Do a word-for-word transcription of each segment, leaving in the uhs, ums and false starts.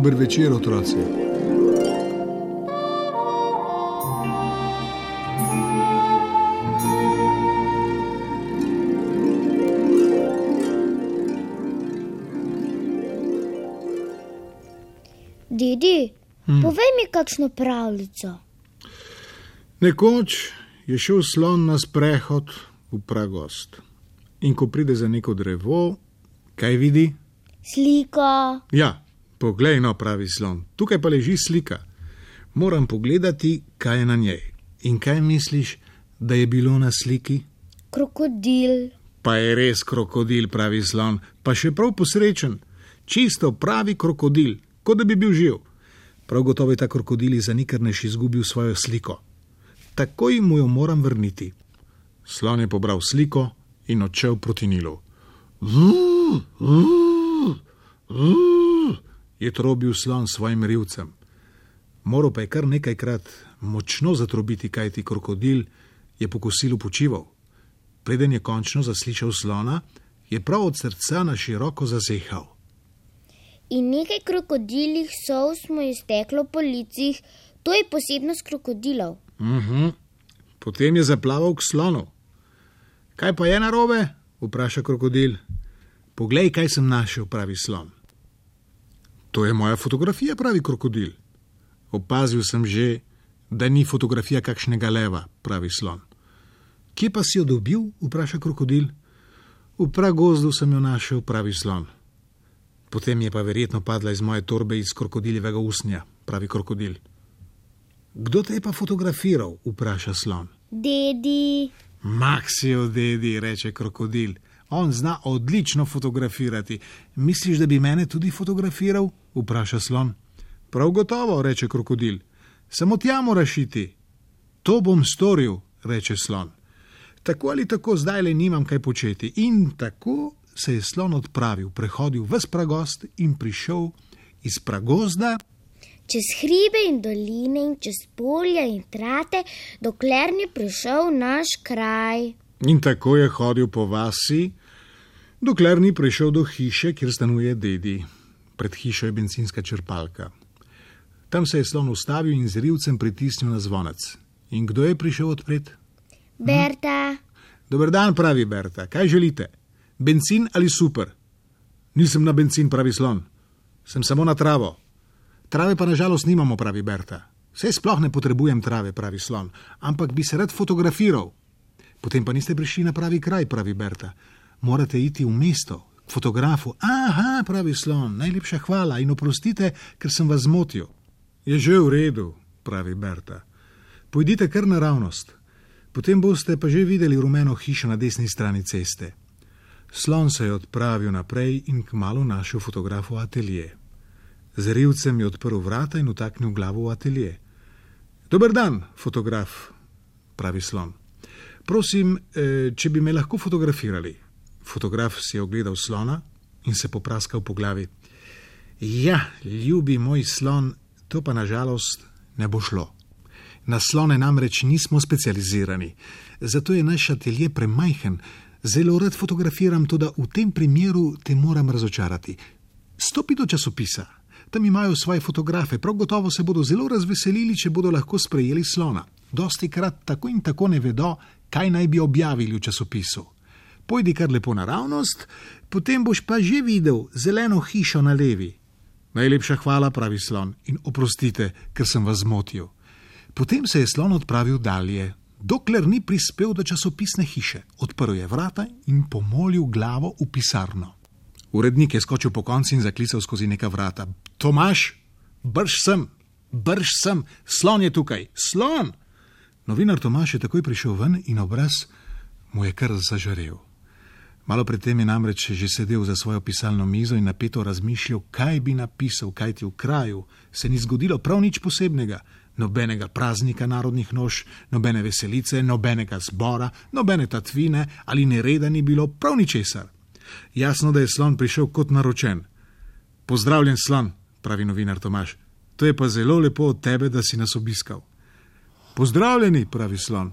Dober večer, otroci. Dedi, hmm. povej mi kakšno pravljico. Nekoč je šel slon na sprehod v pragost. In ko pride za neko drevo, kaj vidi? Slika. Ja, poglej, no, pravi slon. Tukaj pa leži slika. Moram pogledati, kaj je na njej. In kaj misliš, da je bilo na sliki? Krokodil. Pa je res krokodil, pravi slon. Pa še prav posrečen. Čisto pravi krokodil, kot da bi bil živ. Prav gotovo je ta krokodil za nikrnež izgubil svojo sliko. Takoj mu jo moram vrniti. Slon je pobral sliko in odšel proti Nilu. Vuuu, vuuu, vuuu, je trobil slon svojim rivcem. Moral pa je kar nekajkrat močno zatrobiti, kajti krokodil je po kosilu počival. Preden je končno zaslišal slona, je prav od srca na široko zazehal. In nekaj krokodilih solz mu je steklo po licih, to je posebnost krokodilov. Uh-huh. Potem je zaplaval k slonu. Kaj pa je narobe? Vpraša krokodil. Poglej, kaj sem našel, pravi slon. To je moja fotografija, pravi krokodil. Opazil sem že, da ni fotografija kakšnega leva, pravi slon. Kje pa si jo dobil? Vpraša krokodil. V pragozdu sem jo našel, pravi slon. Potem je pa verjetno padla iz moje torbe iz krokodiljevega usnja, pravi krokodil. Kdo te je pa fotografiral? Vpraša slon. Dedi. Maksijo, dedi, reče krokodil. On zna odlično fotografirati. Misliš, da bi mene tudi fotografiral? Vpraša slon. Prav gotovo, reče krokodil. Samo tja moraš iti. To bom storil, reče slon. Tako ali tako zdaj le nimam kaj početi. In tako se je slon odpravil, prehodil ves pragost in prišel iz pragozda čez hribe in doline in čez polja in trate, dokler ni prišel v naš kraj. In tako je hodil po vasi, dokler ni prišel do hiše, kjer stanuje dedi. Pred hišo je bencinska črpalka. Tam se je slon ustavil in z rivcem pritisnil na zvonec. In kdo je prišel odpret? Berta. Hm? Dober dan, pravi Berta. Kaj želite? Bencin ali super? Nisem na bencin, pravi slon. Sem samo na travo. Trave pa nažalost nimamo, pravi Berta. Saj sploh ne potrebujem trave, pravi slon, ampak bi se rad fotografiral. Potem pa niste prišli na pravi kraj, pravi Berta. Morate iti v mesto, k fotografu. Aha, pravi slon, najlepša hvala in oprostite, ker sem vas zmotil. Je že v redu, pravi Berta. Pojdite kar naravnost. Potem boste pa že videli rumeno hišo na desni strani ceste. Slon se je odpravil naprej in kmalu našel fotografu atelje. Z rivcem je odprl vrata in utaknil glavo v atelje. Dober dan, fotograf, pravi slon. Prosim, če bi me lahko fotografirali. Fotograf si je ogledal slona in se popraskal po glavi. Ja, ljubi moj slon, to pa nažalost ne bo šlo. Na slone namreč nismo specializirani, zato je naš atelje premajhen. Zelo rad fotografiram, toda v tem primeru te moram razočarati. Stopi do časopisa. Tam imajo svoje fotografe, prav gotovo se bodo zelo razveselili, če bodo lahko sprejeli slona. Dostikrat tako in tako ne vedo, kaj naj bi objavili v časopisu. Pojdi kar lepo naravnost, potem boš pa že videl zeleno hišo na levi. Najlepša hvala, pravi slon, in oprostite, ker sem vas zmotil. Potem se je slon odpravil dalje, dokler ni prispel do časopisne hiše. Odprl je vrata in pomolil glavo v pisarno. Urednik je skočil po konci in zaklical skozi neka vrata. Tomaž, brž sem, brž sem, slon je tukaj, slon! Novinar Tomaž je takoj prišel ven in obraz mu je kar zažarel. Malo predtem je namreč že sedel za svojo pisalno mizo in napeto razmišljal, kaj bi napisal, kajti v kraju se ni zgodilo prav nič posebnega. Nobenega praznika narodnih noš, nobene veselice, nobenega zbora, nobene tatvine ali nereda ni bilo prav ničesar. Jasno, da je slon prišel kot naročen. Pozdravljen, slon, pravi novinar Tomaž. To je pa zelo lepo od tebe, da si nas obiskal. Pozdravljeni, pravi slon.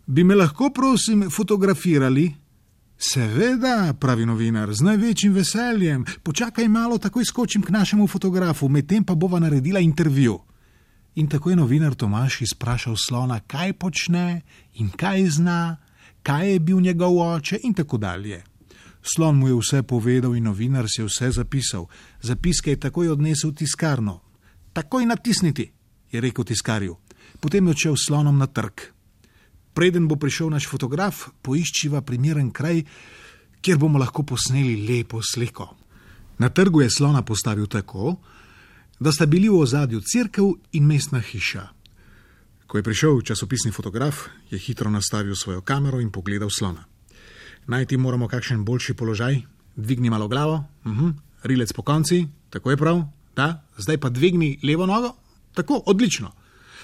Bi me lahko, prosim, fotografirali? Seveda, pravi novinar, z največjim veseljem. Počakaj malo, takoj skočim k našemu fotografu, medtem pa bova naredila intervju. In tako je novinar Tomaž izprašal slona, kaj počne in kaj zna, kaj je bil njegov oče in tako dalje. Slon mu je vse povedal in novinar si je vse zapisal. Zapiske je takoj odnesel v tiskarno. Takoj natisniti, je rekel tiskarju. Potem je odšel s slonom na trg. Preden bo prišel naš fotograf, poiščiva primeren kraj, kjer bomo lahko posneli lepo sliko. Na trgu je slona postavil tako, da sta bili v ozadju cerkev in mestna hiša. Ko je prišel časopisni fotograf, je hitro nastavil svojo kamero in pogledal slona. Najti moramo kakšen boljši položaj, dvigni malo glavo, uh-huh. Rilec po konci, tako je prav, da, zdaj pa dvigni levo nogo, tako, odlično.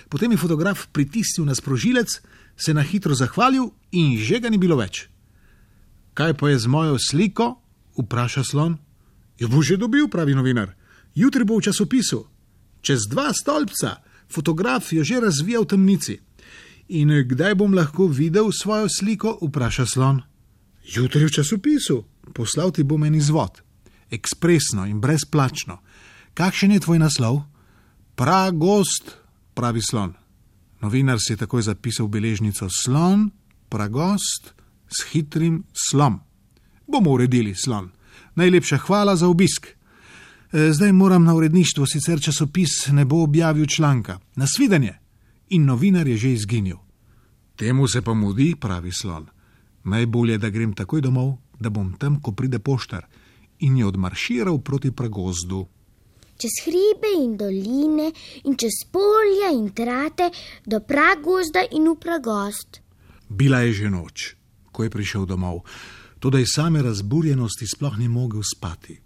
Potem je fotograf pritisnil na sprožilec, se na hitro zahvalil in že ga ni bilo več. Kaj pa je z mojo sliko? Vpraša slon. Jo bo že dobil, pravi novinar. Jutri bo v časopisu. Čez dva stolpca. Fotograf jo že razvija v temnici. In kdaj bom lahko videl svojo sliko? Vpraša slon. Jutri v časopisu. Poslal ti bom en izvod. Ekspresno in brezplačno. Kakšen je tvoj naslov? Pragost, pravi slon. Novinar si je takoj zapisal beležnico slon, pragost, s hitrim slom. Bomo uredili, slon. Najlepša hvala za obisk. Zdaj moram na uredništvo, sicer časopis ne bo objavil članka. Nasvidenje. In novinar je že izginil. Temu se pa mudi, pravi slon. Najbolje, da grem takoj domov, da bom tam, ko pride poštar. In je odmarširal proti pragozdu. Čez hribe in doline in čez polja in trate do pragozda in v pragozd. Bila je že noč, ko je prišel domov, toda iz same razburjenosti sploh ni mogel spati.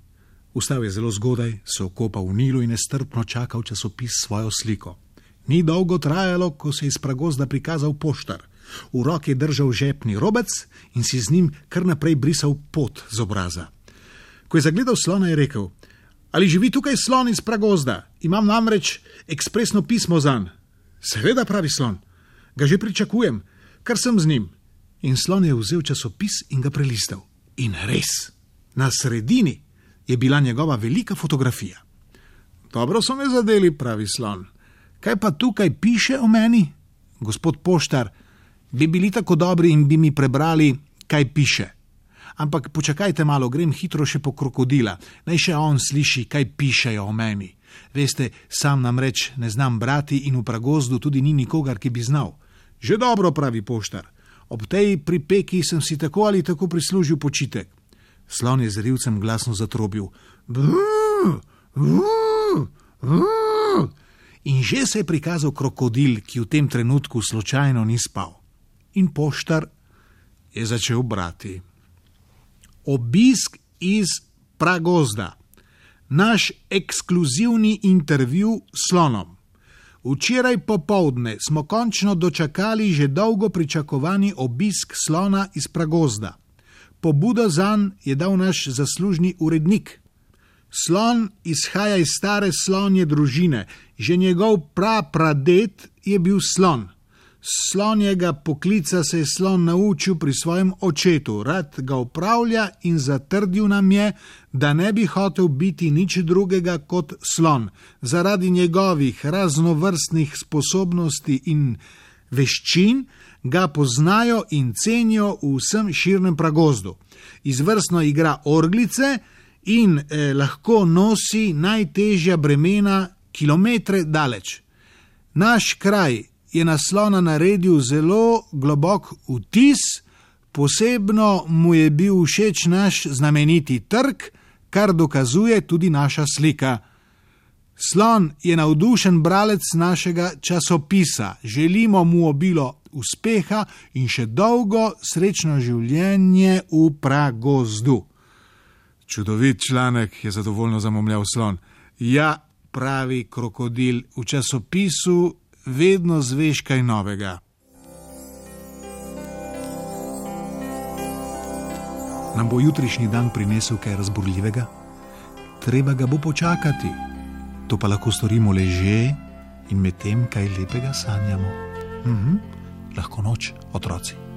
Vstal je zelo zgodaj, se okopal v Nilu in nestrpno čakal časopis svojo sliko. Ni dolgo trajalo, ko se je iz pragozda prikazal poštar. V roki je držal žepni robec in si z njim kar naprej brisal pot z obraza. Ko je zagledal slona, je rekel: Ali živi tukaj slon iz pragozda? Imam namreč ekspresno pismo zanj. Seveda, pravi slon. Ga že pričakujem, kar sem z njim. In slon je vzel časopis in ga prelistal. In res, na sredini je bila njegova velika fotografija. Dobro so me zadeli, pravi slon. Kaj pa tukaj piše o meni? Gospod poštar, bi bili tako dobri in bi mi prebrali, kaj piše. Ampak počakajte malo, grem hitro še po krokodila. Naj še on sliši, kaj pišejo o meni. Veste, sam namreč ne znam brati in v pragozdu tudi ni nikogar, ki bi znal. Že dobro, pravi poštar. Ob tej pripeki sem si tako ali tako prislužil počitek. Slon je z rivcem glasno zatrobil. Brrr, brrr, brrr. In že se je prikazal krokodil, ki v tem trenutku slučajno ni spal. In poštar je začel brati. Obisk iz pragozda. Naš ekskluzivni intervju s slonom. Včeraj popoldne smo končno dočakali že dolgo pričakovani obisk slona iz pragozda. Pobudo zanj je dal naš zaslužni urednik. Slon izhaja iz stare slonje družine. Že njegov prapradet je bil slon. Slonjega poklica se je slon naučil pri svojem očetu, rad ga upravlja in zatrdil nam je, da ne bi hotel biti nič drugega kot slon. Zaradi njegovih raznovrstnih sposobnosti in veščin ga poznajo in cenijo v vsem širnem pragozdu. Izvrstno igra orglice in eh, lahko nosi najtežja bremena kilometre daleč. Naš kraj je na slona naredil zelo globok vtis, posebno mu je bil všeč naš znameniti trg, kar dokazuje tudi naša slika. Slon je navdušen bralec našega časopisa. Želimo mu obilo uspeha in še dolgo srečno življenje v pragozdu. Čudovit članek, je zadovoljno zamomljal slon. Ja, pravi krokodil, v časopisu vedno zveš kaj novega. Nam bo jutrišnji dan prinesel kaj razburljivega? Treba ga bo počakati. To pa lahko storimo leže in medtem kaj lepega sanjamo. Mhm. Lahko noč, otroci.